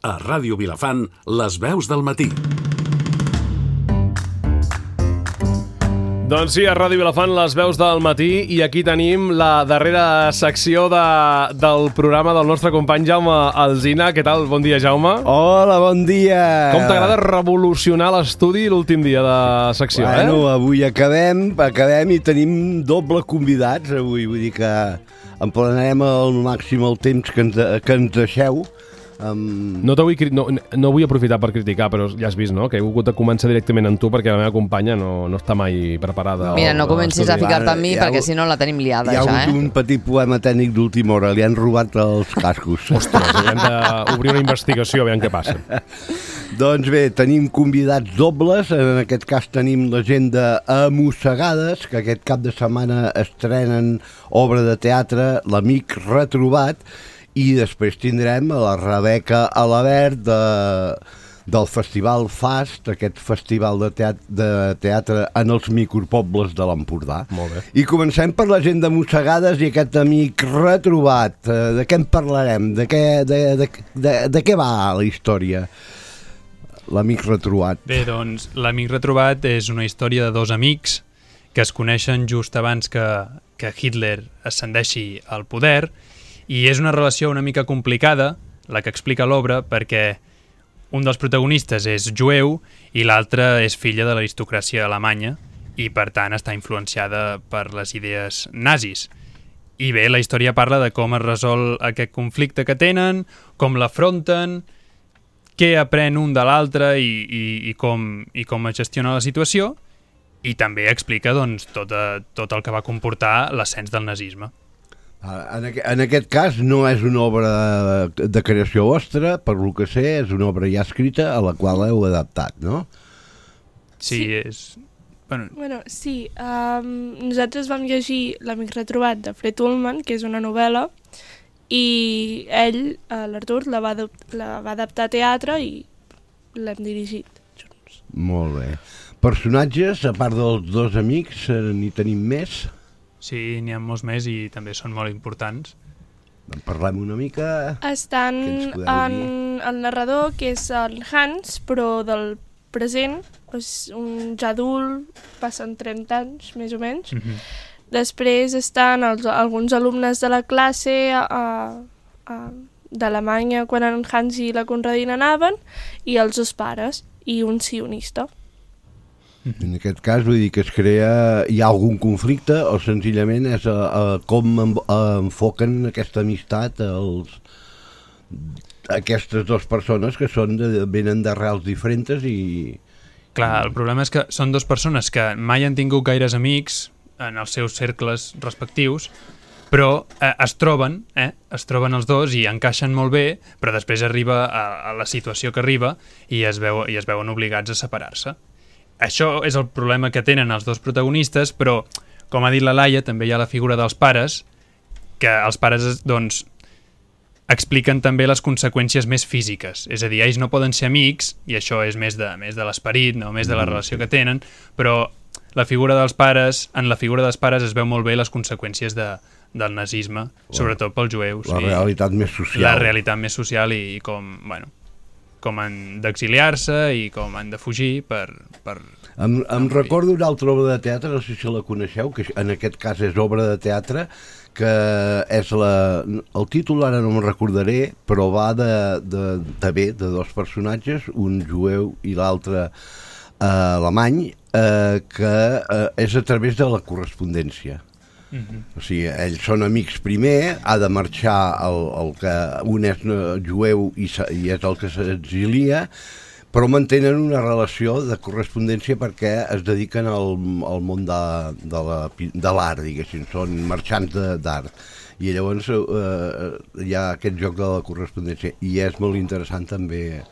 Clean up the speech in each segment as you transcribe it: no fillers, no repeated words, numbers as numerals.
A Ràdio Vilafant, les veus del matí. Doncs sí, a Ràdio Vilafant, les veus del matí, i aquí tenim la darrera secció del programa del nostre company Jaume Alsina. Què tal? Bon dia, Jaume. Hola, bon dia. Com t'agrada revolucionar l'estudi l'últim dia de secció, Avui acabem i tenim doble convidats avui, vull dir que emplenarem al màxim el temps que ens deixeu. No vull aprofitar per criticar, però ja has vist, no?, que he hagut de començar directament amb tu perquè la meva companya no està mai preparada. Mira, no comencis a ficar-te amb mi perquè si no la tenim liada ja, Hi ha hagut un petit problema tècnic d'última hora, li han robat els cascos. Ostres, hem d'obrir una investigació, aviam què passa. Doncs bé, tenim convidats dobles, en aquest cas tenim la gent d'Amossegades, que aquest cap de setmana estrenen obra de teatre, L'Amic Retrobat, i després tindrem a la Rebeca Alabert del Festival FAST, aquest festival de teatre en els micropobles de l'Empordà. Molt bé. I comencem per la gent de Mossegades i aquest amic retrobat. De què en parlarem? De què va la història? L'amic retrobat. Bé, doncs, L'Amic Retrobat és una història de dos amics que es coneixen just abans que Hitler ascendeixi al poder, i és una relació una mica complicada, la que explica l'obra, perquè un dels protagonistes és jueu i l'altre és filla de l'aristocràcia alemanya i, per tant, està influenciada per les idees nazis. I bé, la història parla de com es resol aquest conflicte que tenen, com l'afronten, què aprèn un de l'altre i com es gestiona la situació, i també explica doncs, tot el que va comportar l'ascens del nazisme. En aquest cas no és una obra de creació vostra, per lo que sé, és una obra ja escrita a la qual heu adaptat, no? Sí, és... Bueno, sí. Nosaltres vam llegir L'Amic Retrobat de Fred Ullman, que és una novel·la, i ell, l'Artur, la va adaptar a teatre i l'hem dirigit junts. Molt bé. Personatges, a part dels dos amics, n'hi tenim més? Sí, n'hi ha molts més i també són molt importants. En parlem una mica... Estan el narrador, que és el Hans, però del present, és un ja adult, passen 30 anys, més o menys. Després estan alguns alumnes de la classe d'Alemanya, quan en Hans i la Conradina anaven, i els dos pares, i un sionista. En aquest cas, vull dir que hi ha algun conflicte o senzillament és com enfoquen aquesta amistat aquestes dues persones que venen d'arrels diferents i... Clar, el problema és que són dues persones que mai han tingut gaires amics en els seus cercles respectius, però es troben els dos i encaixen molt bé, però després arriba a la situació que arriba i es veuen obligats a separar-se. Això és el problema que tenen els dos protagonistes, però, com ha dit la Laia, també hi ha la figura dels pares, que els pares, doncs, expliquen també les conseqüències més físiques. És a dir, ells no poden ser amics, i això és més de l'esperit, no? Més de la relació que tenen, però en la figura dels pares es veu molt bé les conseqüències del nazisme, sobretot pels jueus. La realitat més social. La realitat més social i com han d'exiliar-se i com han de fugir per... Em recordo una altra obra de teatre, no sé si la coneixeu, que en aquest cas és obra de teatre, que és el títol ara no me'n recordaré, però va de dos personatges, un jueu i l'altre alemany, que és a través de la correspondència. O sigui, ells són amics primer, ha de marxar un és jueu i és el que s'exilia, però mantenen una relació de correspondència perquè es dediquen al món de l'art, diguéssim, són marxants d'art. I llavors hi ha aquest joc de la correspondència i és molt interessant també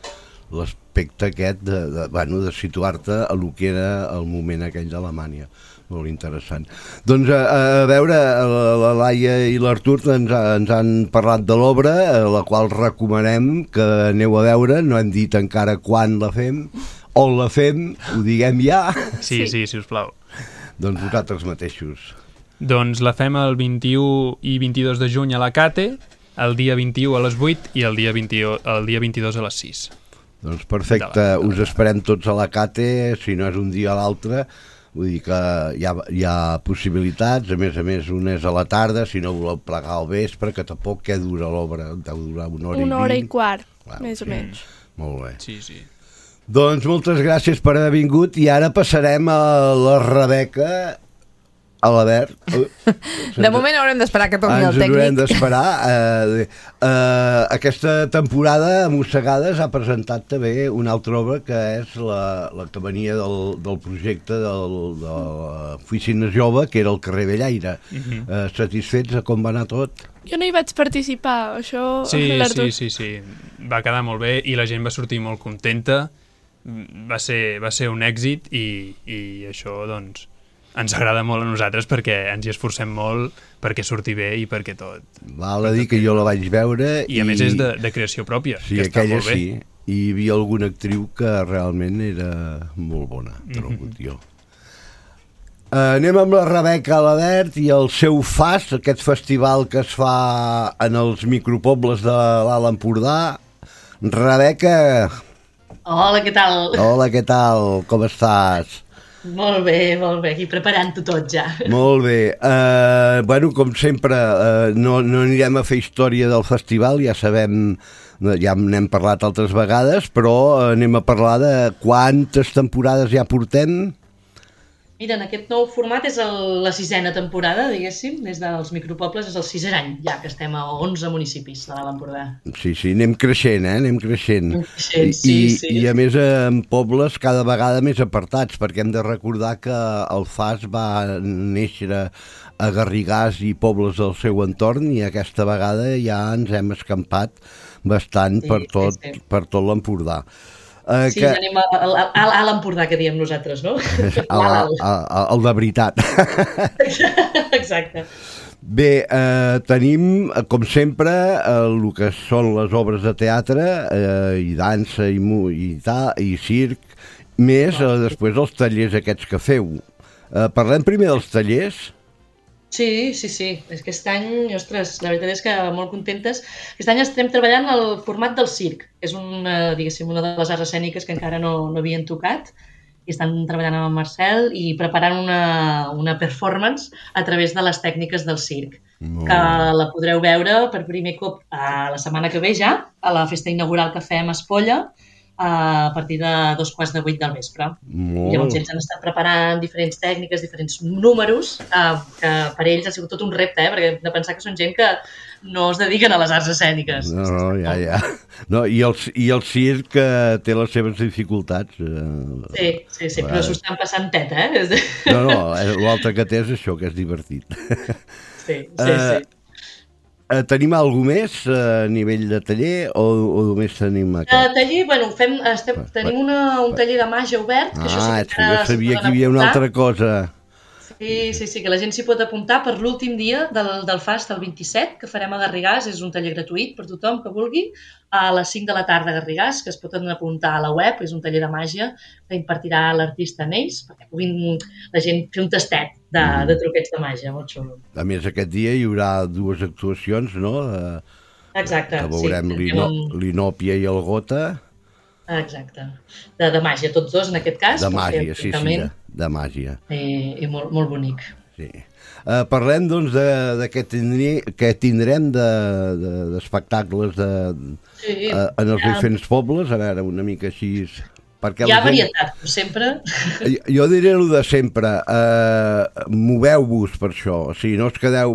l'aspecte aquest de situar-te a lo que era el moment aquell d'Alemanya. Molt interessant. Doncs a veure, la Laia i l'Artur ens han parlat de l'obra, la qual recomanem que aneu a veure. No hem dit encara quan la fem, on la fem, ho diguem ja. Sí, sisplau. Doncs vosaltres mateixos. Doncs la fem el 21 i 22 de juny a la Cate el dia 21 a les 8 i el dia 22 a les 6. Doncs perfecte, us esperem tots a la Cate, si no és un dia a l'altre, vull dir que hi ha possibilitats, a més una és a la tarda, si no voleu plegar al vespre, que tampoc què dura l'obra, deu durar una hora i 20. Una hora i quart, més o menys. Molt bé. Sí. Doncs moltes gràcies per haver vingut i ara passarem a la Rebeca, a l'Albert. De moment haurem d'esperar que torni el tècnic. Ens haurem d'esperar. Aquesta temporada, a Mossegades, ha presentat també una altra obra que és la que venia del projecte de l'oficina jove, que era el carrer Bellaire. Satisfets de com va anar tot? Jo no hi vaig participar, això... Sí. Va quedar molt bé i la gent va sortir molt contenta. Va ser un èxit i això, doncs, ens agrada molt a nosaltres perquè ens hi esforcem molt perquè surti bé i perquè tot... Val a dir que jo la vaig veure... I a més és de creació pròpia, sí, que està molt bé. Sí, i hi havia alguna actriu que realment era molt bona, trobo jo. Anem amb la Rebeca Alabert i el seu FAS, aquest festival que es fa en els micropobles de l'Alt Empordà. Rebeca... Hola, què tal? Hola, què tal? Com estàs? Molt bé, aquí preparant-ho tot ja. Molt bé. Bueno, com sempre, no anirem a fer història del festival, ja sabem, ja n'hem parlat altres vegades, però anem a parlar de quantes temporades ja portem. Mira, en aquest nou format és la 6a temporada, diguéssim, des dels micropobles és el 6è any, ja que estem a 11 municipis de l'Alt Empordà. Sí, anem creixent, anem creixent. Sí. I a més en pobles cada vegada més apartats, perquè hem de recordar que el FAS va néixer a Garrigàs i pobles del seu entorn i aquesta vegada ja ens hem escampat bastant per tot l'Empordà. Sí, anem a l'Empordà, que diem nosaltres, no? El de veritat. Exacte. Bé, tenim, com sempre, el que són les obres de teatre, i dansa, i circ, més després els tallers aquests que feu. Parlem primer dels tallers? Sí. És que aquest any, ostres, la veritat és que molt contentes. Aquest any estem treballant el format del circ. És una de les arts escèniques que encara no havien tocat i estan treballant amb en Marcel i preparant una performance a través de les tècniques del circ, que la podreu veure per primer cop la setmana que ve ja, a la festa inaugural que fem a Espolla, a partir de 7:45 del vespre. Llavors ells han estat preparant diferents tècniques, diferents números, que per ells ha sigut tot un repte, perquè hem de pensar que són gent que no es dediquen a les arts escèniques. No, ja. No, i el circ té les seves dificultats. Sí, però s'ho estan passant teta, eh? No, l'altre que té és això, que és divertit. Sí. Tenim alguna més a nivell de taller o només tenim aquest? Taller, bueno, tenim un taller de màgia obert. Que això sí que jo sabia que hi havia una altra cosa. Sí, que la gent s'hi pot apuntar per l'últim dia del FAST, el 27, que farem a Garrigàs. És un taller gratuït per tothom que vulgui, a les 5 de la tarda a Garrigàs, que es poden apuntar a la web. És un taller de màgia que impartirà l'artista Neis, perquè puguin la gent fer un tastet de truquets de màgia, molt xulo. A més, aquest dia hi haurà 2 actuacions, no? Exacte, sí. Veurem l'Inòpia i el Gota. Exacte. De màgia, tots dos en aquest cas. De màgia, sí, de màgia. I molt bonic. Sí. Parlem, doncs, de què tindrem d'espectacles en els diferents pobles, a veure, una mica així... Hi ha varietat, com sempre. Jo diré el de sempre, moveu-vos per això, o sigui, no us quedeu,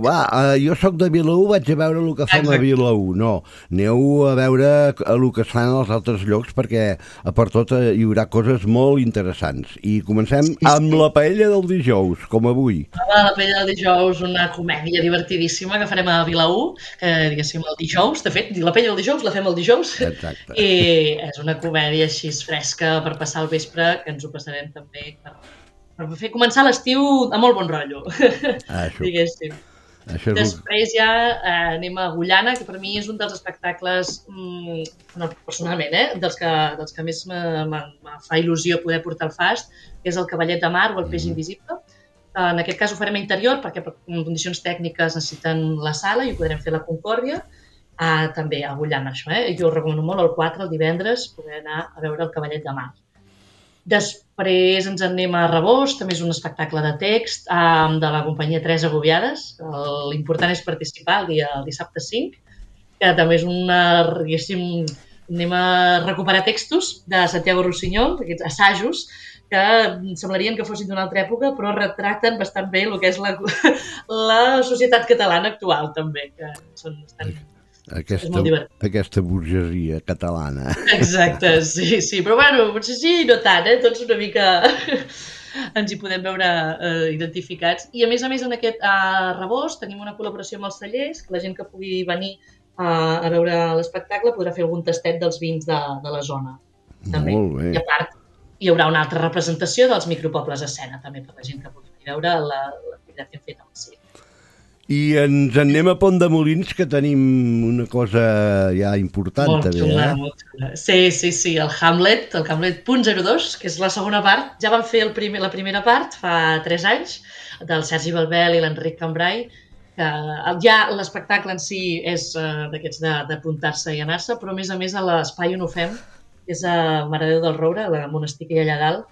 jo sóc de Vilaür, vaig a veure el que fem a Vilaür, no, aneu a veure el que es fan als altres llocs perquè per tot hi haurà coses molt interessants. I comencem amb la paella del dijous, com avui. La paella del dijous, una comèdia divertidíssima que farem a Vilaür, que diguéssim el dijous, de fet, la paella del dijous la fem el dijous. Exacte. I és una comèdia així fresca, per passar el vespre, que ens ho passarem també per fer començar l'estiu a molt bon rotllo, diguéssim. Després ja anem a Agullana, que per mi és un dels espectacles, personalment, dels que més me fa il·lusió poder portar al FAST, que és el Cavallet de Mar o el Peix Invisible. En aquest cas ho farem a interior, perquè per condicions tècniques necessiten la sala i ho podrem fer a la Concòrdia. també agullant això. Jo us recomano molt el 4, el divendres, poder anar a veure el Cavallet de Mar. Després ens anem a Rebost, també és un espectacle de text de la companyia Tres Agobiades. L'important és participar el dissabte 5, que també és diguéssim, anem a recuperar textos de Santiago Rossinyol, aquests assajos, que semblarien que fossin d'una altra època, però retracten bastant bé el que és la societat catalana actual, també, que són bastant... és molt divertit. Aquesta burgesia catalana. Exacte, sí. Però bueno, potser sí, no tant, tots una mica ens hi podem veure identificats. I a més, en aquest Rebost tenim una col·laboració amb els cellers, que la gent que pugui venir a veure l'espectacle podrà fer algun tastet dels vins de la zona. També. Molt bé. I a part, hi haurà una altra representació dels micropobles a escena, també per la gent que pugui veure l'activitat que hem fet amb el circ. I ens en anem a Pont de Molins, que tenim una cosa ja important, molt també. Xula, molt xula. Sí, el Hamlet 0.02, que és la segona part. Ja van fer la primera part fa 3 anys, del Sergi Balbel i l'Enric Cambrai, que ja l'espectacle en si és d'aquests d'apuntar-se i anar-se, però a més a l'espai on ho fem, que és a Mare de Déu del Roure, el monestir que hi ha allà dalt,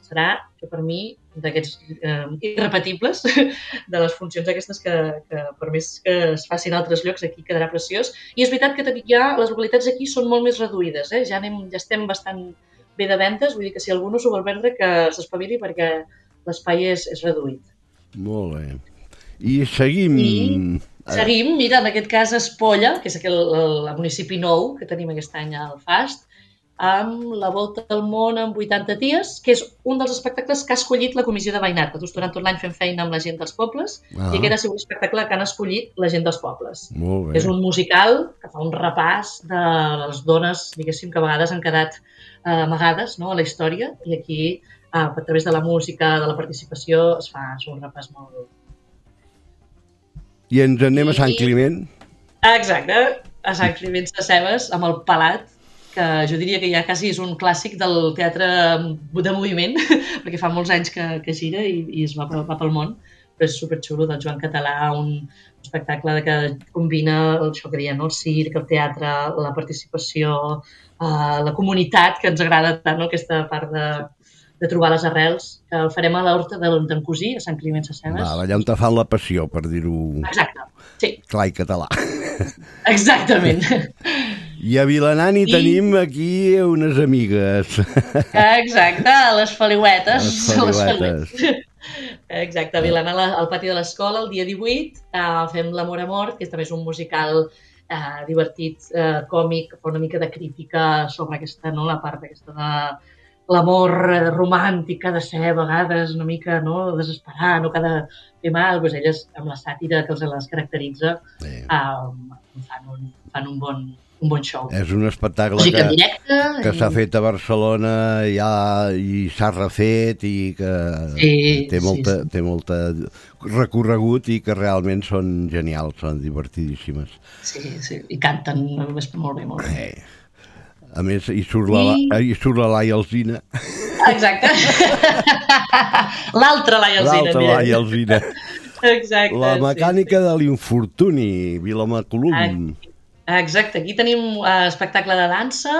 serà, que per mi, d'aquests irrepetibles, de les funcions aquestes que per més que es facin a altres llocs, aquí quedarà preciós. I és veritat que ja les localitats aquí són molt més reduïdes, ja estem bastant bé de ventes, vull dir que si algú no s'ho vol vendre, que s'espavili perquè l'espai és reduït. Molt bé. I seguim... Seguim, mira, en aquest cas Espolla, que és el municipi nou que tenim aquest any al FAST, amb la Volta al Món amb 80 ties, que és un dels espectacles que ha escollit la Comissió de Veïnat. Nosaltres durant tot l'any fem feina amb la gent dels pobles i aquest ha sigut l'espectacle que han escollit la gent dels pobles. Molt bé. És un musical que fa un repàs de les dones, diguéssim, que a vegades han quedat amagades a la història i aquí, a través de la música, de la participació, es fa un repàs molt... I ens anem a Sant Climent. Exacte, a Sant Climent Sescebes, amb el Palat, que jo diria que ja quasi és un clàssic del teatre de moviment, perquè fa molts anys que gira i es va pel món, però és superxulo, del Joan Català, un espectacle que combina això que deien, el circ, el teatre, la participació, la comunitat, que ens agrada tant, aquesta part de trobar les arrels, que el farem a l'Horta d'en Cosí, a Sant Climent Sescebes. Allà on te fan la passió, per dir-ho clar i català. Exactament. I a Vilanant hi tenim aquí unes amigues. Exacte, les Feliuetes. Les Feliuetes. Exacte, a Vilanant, al pati de l'escola, el dia 18, fem L'amor a mort, que també és un musical divertit, còmic, que fa una mica de crítica sobre aquesta, la part aquesta de l'amor romàntic que ha de ser a vegades una mica desesperar, no que ha de fer mal, doncs elles amb la sàtira que els les caracteritza fan un bon show. És un espectacle que s'ha fet a Barcelona ja i s'ha refet i que té molt recorregut i que realment són genials, són divertidíssimes. Sí, i canten molt bé, molt bé. A més, hi surt la Laia Alsina. Exacte. L'altra Laia Alsina. Exacte. La mecànica de l'infortuni, Vilamacolum. Exacte. Aquí tenim espectacle de dansa,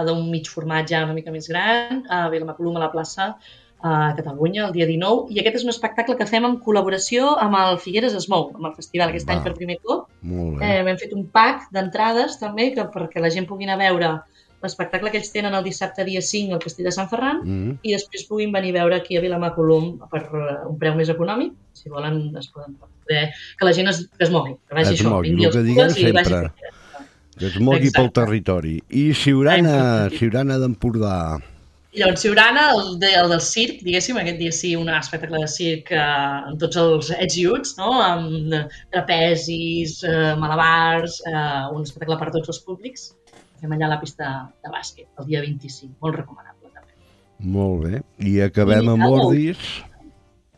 d'un mig format ja una mica més gran, a Vilamacolum, a la plaça a Catalunya, el dia 19. I aquest és un espectacle que fem en col·laboració amb el Figueres es Mou, amb el festival aquest any per primer cop. Hem fet un pack d'entrades també perquè la gent pugui anar a veure l'espectacle que ells tenen el dissabte dia 5 al Castell de Sant Ferran i després puguin venir a veure aquí a Vilamacolum per un preu més econòmic. Si volen, es poden poder... Que la gent es mogui, que vagi això. El que diguem sempre, que es mogui pel territori. I Siurana d'Empordà. I llavors Siurana, el del circ, diguéssim, aquest dia sí, un espectacle de circ amb tots els ets i uts, amb trapezis, malabars, un espectacle per tots els públics. Fem allà a la pista de bàsquet, el dia 25, molt recomanable també. Molt bé, i acabem amb Ordis.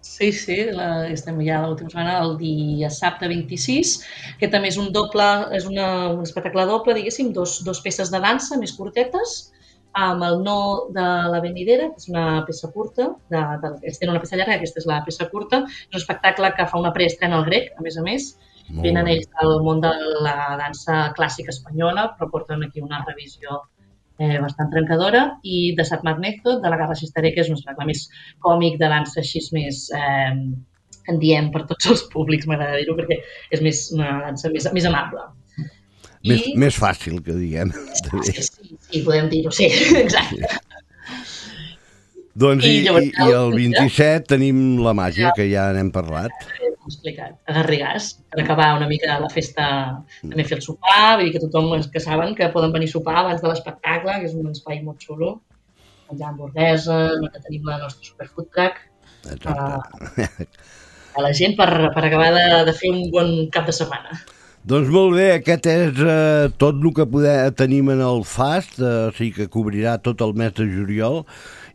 Sí, estem ja l'última setmana, el dia sabte 26, que també és un espectacle doble, diguéssim, dos peces de dansa més curtetes, amb el No de la Venidera, que és una peça curta, ells tenen una peça llarga, aquesta és la peça curta, és un espectacle que fa una preestrena al Grec, a més, Venen ells del món de la dansa clàssica espanyola, però porten aquí una revisió bastant trencadora, i de Satmar Method, de la Garra Sistere, que és un espectacle més còmic de dansa així més, en diem per tots els públics, m'agrada dir-ho, perquè és una dansa més amable. Més fàcil, que diguem. Sí, podem dir-ho, sí, exacte. Doncs i el 27 tenim la màgia, que ja n'hem parlat. Explicat, a Garrigàs, per acabar una mica la festa, també fer el sopar, vull dir que tothom que saben que poden venir a sopar abans de l'espectacle, que és un espai molt xulo, menjar hamburguesa, que tenim la nostra superfood truck, a la gent per acabar de fer un bon cap de setmana. Doncs molt bé, aquest és tot el que tenim en el FAST, o sigui que cobrirà tot el mes de juliol,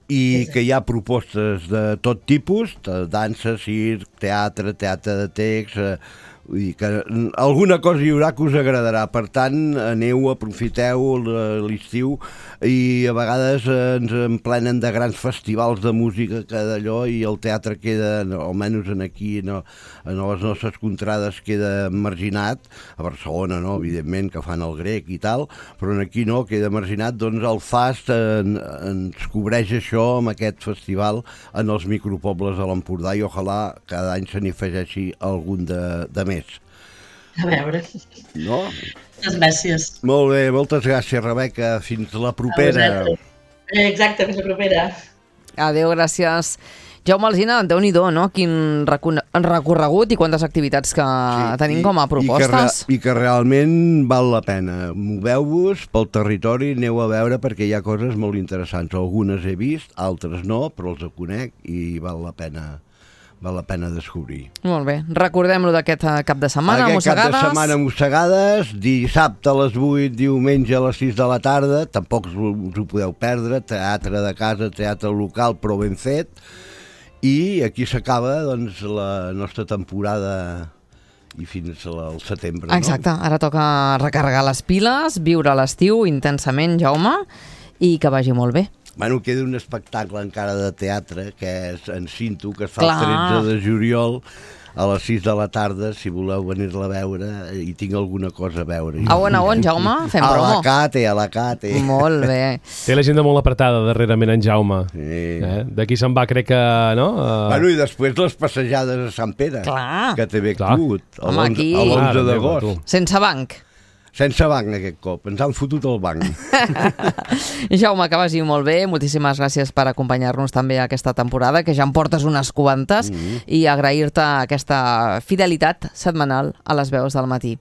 i que hi ha propostes de tot tipus, de dansa, circ, teatre de text, vull dir que alguna cosa hi haurà que us agradarà. Per tant, aneu, aprofiteu l'estiu, i a vegades ens emplenen de grans festivals de música que d'allò, i el teatre queda, almenys aquí, a les nostres contrades, queda marginat. A Barcelona, no, evidentment, que fan el grec i tal, però aquí no, queda marginat. Doncs el FAST ens cobreix això amb aquest festival en els micropobles de l'Empordà, i ojalà cada any se n'hi afegeixi algun de més. A veure. No? Moltes gràcies. Molt bé, moltes gràcies, Rebeca. Fins la propera. Exacte, fins la propera. Adéu, gràcies. Jaume Alsina, Déu-n'hi-do, no? Quin recorregut i quantes activitats que tenim com a propostes. I que realment val la pena. Moveu-vos pel territori, aneu a veure, perquè hi ha coses molt interessants. Algunes he vist, altres no, però els conec i val la pena descobrir. Molt bé. Recordem-lo d'aquest cap de setmana, Mossegades. Aquest cap de setmana, Mossegades, dissabte a les 8, diumenge a les 6 de la tarda, tampoc us ho podeu perdre, teatre de casa, teatre local, però ben fet, i aquí s'acaba doncs, la nostra temporada i fins al setembre. Exacte, ara toca recarregar les piles, viure l'estiu intensament, Jaume, i que vagi molt bé. Bueno, queda un espectacle encara de teatre, que és en Cinto, que es fa el 13 de juliol a les 6 de la tarda, si voleu venir-la a veure, i tinc alguna cosa a veure. A on, Jaume? Fem promo. A la Cate. Molt bé. Té l'agenda molt apretada darrerament en Jaume. Sí. D'aquí se'n va, crec que, no? Bueno, i després les passejades a Sant Pere, que també actut, l'11 d'agost. Sense banc. Sense banc aquest cop, ens han fotut el banc. Jaume, que vagi molt bé, moltíssimes gràcies per acompanyar-nos també aquesta temporada, que ja en portes unes quantes, i agrair-te aquesta fidelitat setmanal a les veus del matí.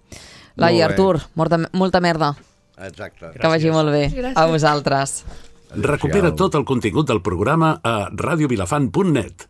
Lai, Artur, molta merda. Exacte. Que vagi molt bé. Gràcies. A vosaltres. Recupera tot el contingut del programa a radiovilafant.net.